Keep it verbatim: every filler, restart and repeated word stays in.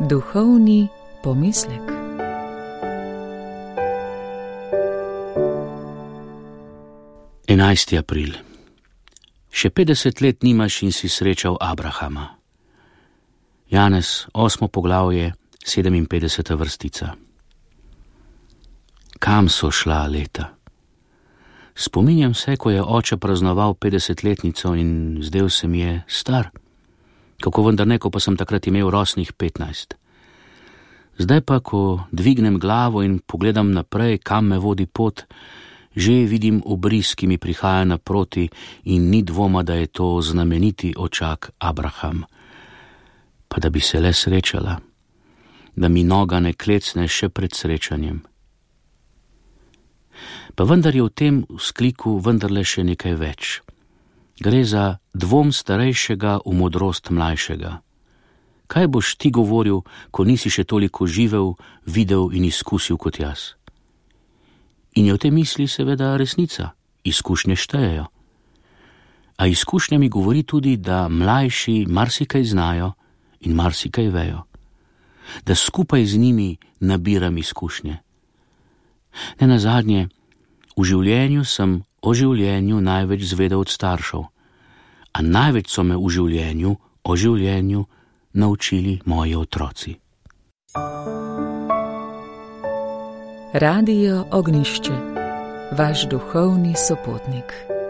Duhovni pomislek. enajsti april. Še petdeset let nimaš in si srečal Abrahama. Janez, osmo poglavje, sedeminpetdeseta vrstica. Kam so šla leta? Spominjam se, ko je oče praznoval petdesetletnico in zdel se mi je star. Kako vendar ne, ko pa sem takrat imel rosnih petnajst. Zdaj pa, ko dvignem glavo in pogledam naprej, kam me vodi pot, že vidim obris, ki mi prihaja naproti in ni dvoma, da je to znameniti očak Abraham. Pa da bi se le srečala, da mi noga ne klecne še pred srečanjem. Pa vendar je v tem vzkliku vendarle še nekaj več. Gre za dvom starejšega v modrost mlajšega. Kaj boš ti govoril, ko nisi še toliko živel, videl in izkusil kot jaz? In je v tej misli seveda resnica, izkušnje štejejo. A izkušnja mi govori tudi, da mlajši marsikaj znajo in marsikaj vejo. Da skupaj z njimi nabiram izkušnje. Nenazadnje, v življenju sem o življenju največ zvedel od staršev, a največ so me v življenju o življenju naučili moji otroci. Radio Ognišče, vaš duhovni sopotnik.